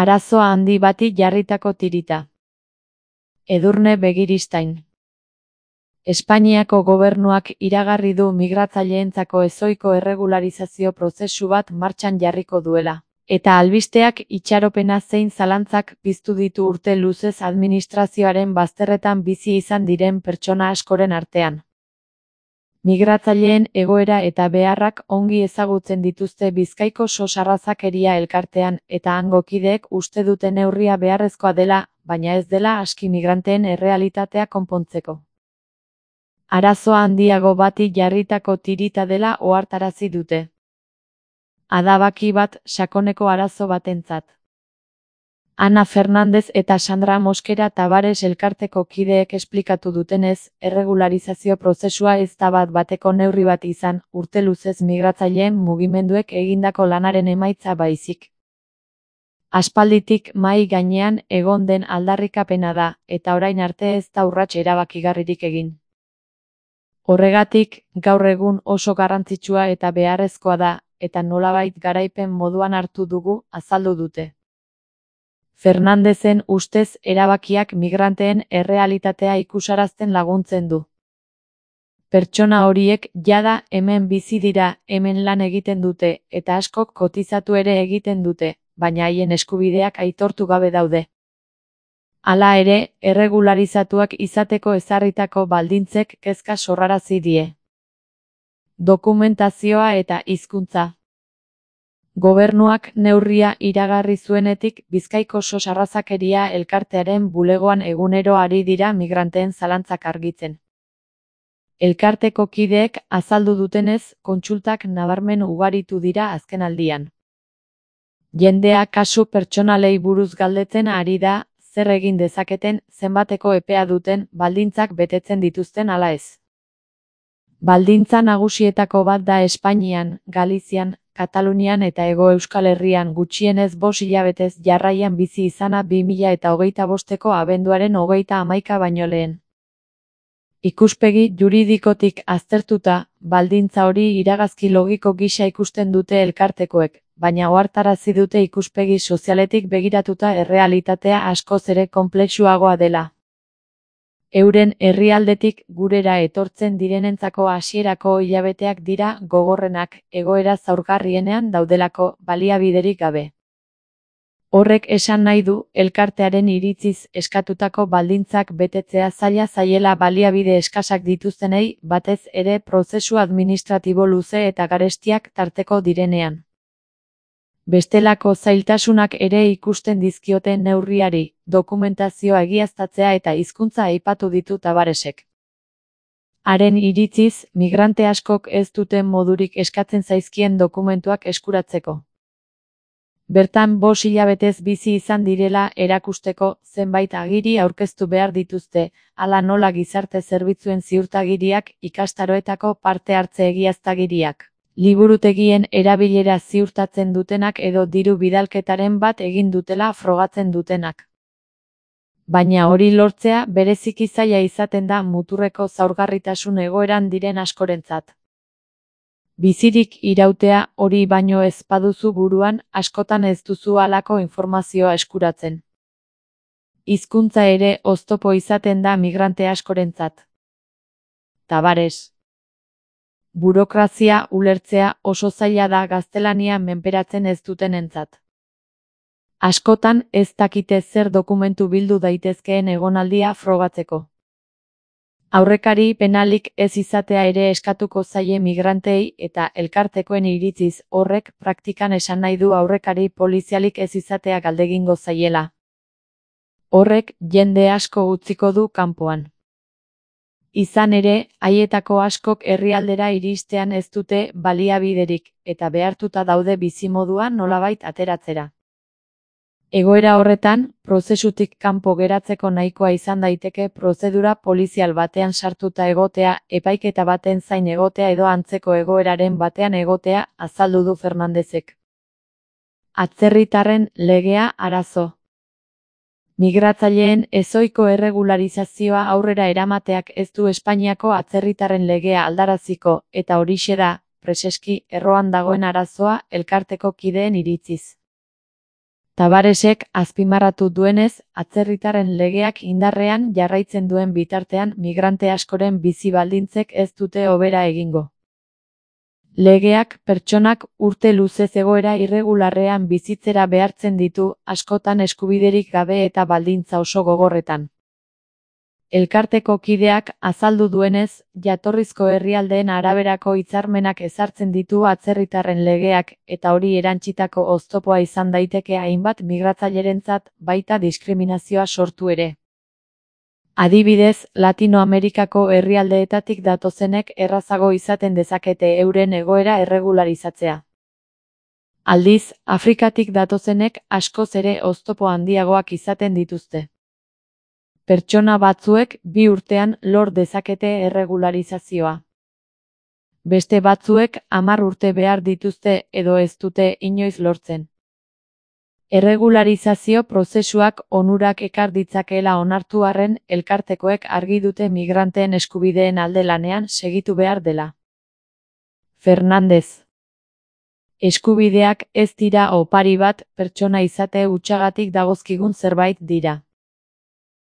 Arazoa handi bati jarritako tirita. Edurne Begiristain. Espainiako gobernuak iragarri du migratzaileentzako ezohiko erregularizazio prozesu bat martxan jarriko duela. Eta albisteak itxaropena zein zalantzak piztu ditu urte luzez administrazioaren bazterretan bizi izan diren pertsona askoren artean. Migratzaileen egoera eta beharrak ongi ezagutzen dituzte Bizkaiko SOS Arrazakeria elkartean eta hango kideek uste dute neurria beharrezkoa dela, baina ez dela aski migranteen errealitatea konpontzeko. Arazoa handiago bati jarritako tirita dela ohartarazi dute. Adabaki bat sakoneko arazo batentzat. Ana Fernandez eta Sandra Mosquera Tavares elkarteko kideek esplikatu dutenez, erregularizazio prozesua ez da bat-bateko neurri bat izan, urte luzez migratzaileen mugimenduek egindako lanaren emaitza baizik. Aspalditik mahai gainean egon den aldarrikapena da, eta orain arte ez da urrats erabakigarririk egin. Horregatik, gaur egun oso garrantzitsua eta beharrezkoa da, eta nolabait garaipen moduan hartu dugu, azaldu dute. Fernandezen ustez erabakiak migranteen errealitatea ikusarazten laguntzen du. Pertsona horiek jada hemen bizi dira, hemen lan egiten dute, eta askok kotizatu ere egiten dute, baina haien eskubideak aitortu gabe daude. Hala ere, erregularizatuak izateko ezarritako baldintzek kezka sorrarazi die. Dokumentazioa eta hizkuntza. Gobernuak neurria iragarri zuenetik Bizkaiko SOS Arrazakeria elkartearen bulegoan egunero ari dira migranteen zalantzak argitzen. Elkarteko kideek azaldu dutenez, kontsultak nabarmen ugaritu dira azkenaldian. Jendea kasu pertsonalei buruz galdetzen ari da, zer egin dezaketen, zenbateko epea duten, baldintzak betetzen dituzten ala ez. Baldintza nagusietako bat da Espainian, Galizian, Katalunian eta Hego Euskal Herrian gutxienez 5 hilabetez jarraian bizi izana 2025ko abenduaren 31 baino lehen. Ikuspegi juridikotik aztertuta, baldintza hori iragazki logiko gisa ikusten dute elkartekoek, baina ohartarazi dute ikuspegi sozialetik begiratuta errealitatea askoz ere konplexuagoa dela. Euren herrialdetik gurera etortzen direnentzako hasierako hilabeteak dira gogorrenak, egoera zaurgarrienean daudelako, baliabiderik gabe. Horrek esan nahi du, elkartearen iritziz eskatutako baldintzak betetzea zaila zaiela baliabide eskasak dituztenei, batez ere prozesu administratibo luze eta garestiak tarteko direnean. Bestelako zailtasunak ere ikusten dizkiote neurriari, dokumentazioa egiaztatzea eta hizkuntza aipatu ditu Tavaresek. Haren iritziz, migrante askok ez duten modurik eskatzen zaizkien dokumentuak eskuratzeko. Bertan 5 hilabetez bizi izan direla erakusteko zenbait agiri aurkeztu behar dituzte, hala nola gizarte zerbitzuen ziurtagiriak, ikastaroetako parte hartze egiaztagiriak. Liburutegien erabilera ziurtatzen dutenak edo diru bidalketaren bat egin dutela frogatzen dutenak. Baina hori lortzea bereziki zaila izaten da muturreko zaurgarritasun egoeran diren askorentzat. Bizirik irautea hori baino ez baduzu buruan, askotan ez duzu halako informazioa eskuratzen. Hizkuntza ere oztopo izaten da migrante askorentzat. Tavares. Burokrazia ulertzea oso zaila da gaztelania menperatzen ez dutenentzat. Askotan ez dakite zer dokumentu bildu daitezkeen egonaldia frogatzeko. Aurrekari penalik ez izatea ere eskatuko zaie migrantei eta elkartekoen iritziz horrek praktikan esan nahi du aurrekari polizialik ez izatea galdegingo zaiela. Horrek jende asko utziko du kanpoan. Izan ere, haietako askok herrialdera iristean ez dute baliabiderik, eta behartuta daude bizimodua nolabait ateratzera. Egoera horretan, prozesutik kanpo geratzeko nahikoa izan daiteke prozedura polizial batean sartuta egotea, epaiketa baten zain egotea edo antzeko egoeraren batean egotea, azaldu du Fernandezek. Atzerritarren legea arazo. Migratzaileen ezohiko erregularizazioa aurrera eramateak ez du Espainiako atzerritarren legea aldaraziko, eta horixe da, preseski, erroan dagoen arazoa elkarteko kideen iritziz. Tavaresek azpimarratu duenez, atzerritarren legeak indarrean jarraitzen duen bitartean migrante askoren bizi baldintzek ez dute hobera egingo. Legeak pertsonak urte luzez egoera irregularrean bizitzera behartzen ditu, askotan eskubiderik gabe eta baldintza oso gogorretan. Elkarteko kideak azaldu duenez, jatorrizko herrialdeen araberako hitzarmenak ezartzen ditu atzerritarren legeak, eta hori erantsitako oztopoa izan daiteke hainbat migratzailerentzat, baita diskriminazioa sortu ere. Adibidez, Latinoamerikako herrialdeetatik datozenek errazago izaten dezakete euren egoera erregularizatzea. Aldiz, Afrikatik datozenek askoz ere oztopo handiagoak izaten dituzte. Pertsona batzuek 2 urtean lor dezakete erregularizazioa. Beste batzuek 10 urte behar dituzte edo ez dute inoiz lortzen. Erregularizazio prozesuak onurak ekar ditzakeela onartu arren, elkartekoek argi dute migranteen eskubideen alde lanean segitu behar dela. Fernández. Eskubideak ez dira opari bat, pertsona izate hutsagatik dagozkigun zerbait dira.